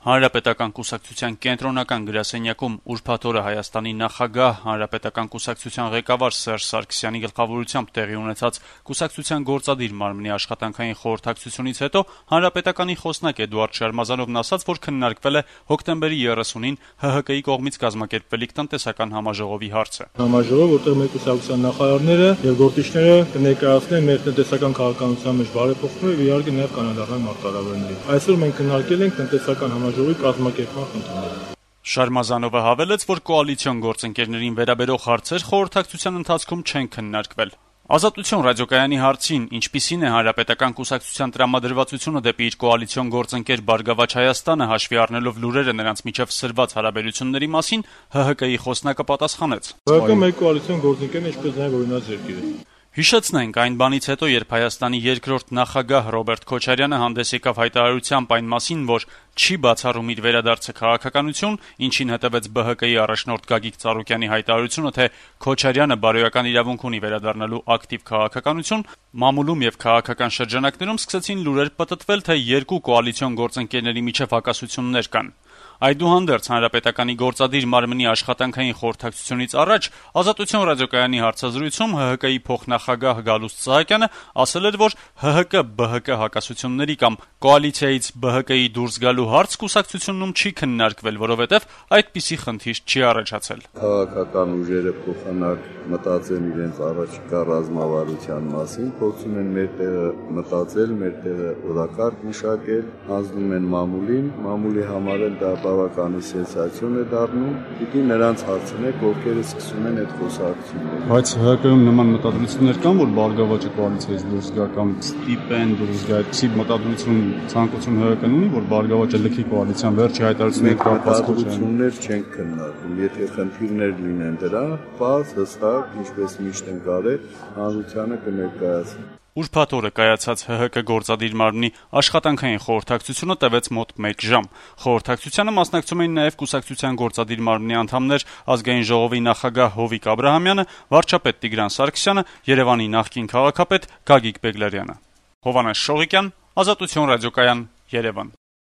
Հանրապետական կուսակցության կենտրոնական գրասենյակում ուրբաթ օրը Հայաստանի նախագահ, Հանրապետական կուսակցության ղեկավար Սերժ Սարգսյանի գլխավորությամբ տեղի ունեցած կուսակցության գործադիր մարմնի աշխատանքային խորհրդակցությունից հետո Հանրապետականի խոսնակ Էդուարդ Շարմազանովն ասաց, որ քննարկվել է հոկտեմբերի 30-ին ՀՀԿ-ի կողմից կազմակերպվելիք տնտեսական համաժողովի հարցը։ Համաժողով, որտեղ մեր կուսակցության նախարարները եւ գործիչները կներկայացնեն մեր տնտեսական քաղաքականության մեջ բարեփոխումները եւ իհարկե նաեւ կանադառնան մարտահրավերների։ Այսօր մենք քննարկել ենք տնտեսական համաժողովի կազմակերպման խնդիրները։ Շարմազանովը հավելեց, որ կոալիցիոն գործընկերներին վերաբերող հարցեր խորհրդակցության ընթացքում չեն քննարկվել։ Ազատություն ռադիոկայանի հարցին, ինչպիսին է Հանրապետական կուսակցության տրամադրվածությունը դեպի իր կոալիցիոն գործընկեր Բարգավաճ Հայաստանը, հաշվի առնելով լուրերը նրանց միջև սրված հարաբերությունների մասին, ՀՀԿ-ի խոսնակը պատասխանեց. ՀՀԿ մեր կոալիցիոն գործընկերն ինչպես նաև օրինաց երկիր է։ Հիշեցնենք, այն բանից հետո, երբ Հայաստանի երկրորդ նախագահ Ռոբերտ Քոչարյանը հանդես եկավ հայտարարությամբ այն մասին, որ չի բացառում իր վերադարձը քաղաքականություն, ինչին հետևեց ԲՀԿ-ի առաջնորդ Գագիկ Ծառուկյանի հայտարարությունը, թե Քոչարյանը բարոյական իրավունք ունի վերադառնալու ակտիվ քաղաքականություն, մամուլում եւ քաղաքական շրջանակներում սկսեցին լուրեր պտտվել, թե երկու կոալիցիոն գործընկերների միջև հակասություններ կան։ Այդուհանդերձ Հանրապետականի գործադիր մարմնի աշխատանքային խորհրդակցությունից առաջ Ազատություն ռադիոկայանի հարցազրույցում ՀՀԿ-ի փոխնախագահ Գալուստ Սահակյանը ասել էր, որ ՀՀԿ-ԲՀԿ հակասությունների կամ կոալիցիայից ԲՀԿ-ի դուրս գալու հարց կուսակցությունում չի քննարկվել, որովհետև այդպիսի խնդիր չի առաջացել։ Քաղաքական ուժերը փոխանակ մտածեն իրենց առաջիկա ռազմավարության մասին, փորձում են մեր տեղը մտածել, մեր տեղը օրակարգ մշակել, հանձնում են մամուլի համար էլ դա բավականին սենսացիոն է դառնում, պիտի նրանց հարցնեք, ովքեր սկսում են այդ խոսակցությունները։ Բայց ՀՀԿ-ում նման մտադրություններ կան, որ Բարգավաճը կոալիցիայից դուրս գա կամ ստիպեն դուրս գա, այդպիսի մտադրություն ցանկություն ՀՀԿ-ն ունի, որ Բարգավաճը լքի կոալիցիան վերջի հայտարարությունների կապված մտադրություններ չեն քննարկում, եթե խնդիրներ լինեն դրա, բաց հստակ, ինչպես միշտ են կարել, հանրությանը կներկայացնեն։ Ուրբաթ օրը կայացած ՀՀԿ գործադիր մարմնի աշխատանքային խորհրդակցությունը տևեց մոտ 1 ժամ։ Խորհրդակցությանը մասնակցում էին նաև կուսակցության գործադիր մարմնի անդամներ Ազգային ժողովի նախագահ Հովիկ Աբրահամյանը, վարչապետ Տիգրան Սարգսյանը, Երևանի նախկին քաղաքապետ Գագիկ Բեգլարյանը։ Հովհաննես Շողիկյան, Ազատություն ռադիոկայան, Երևան։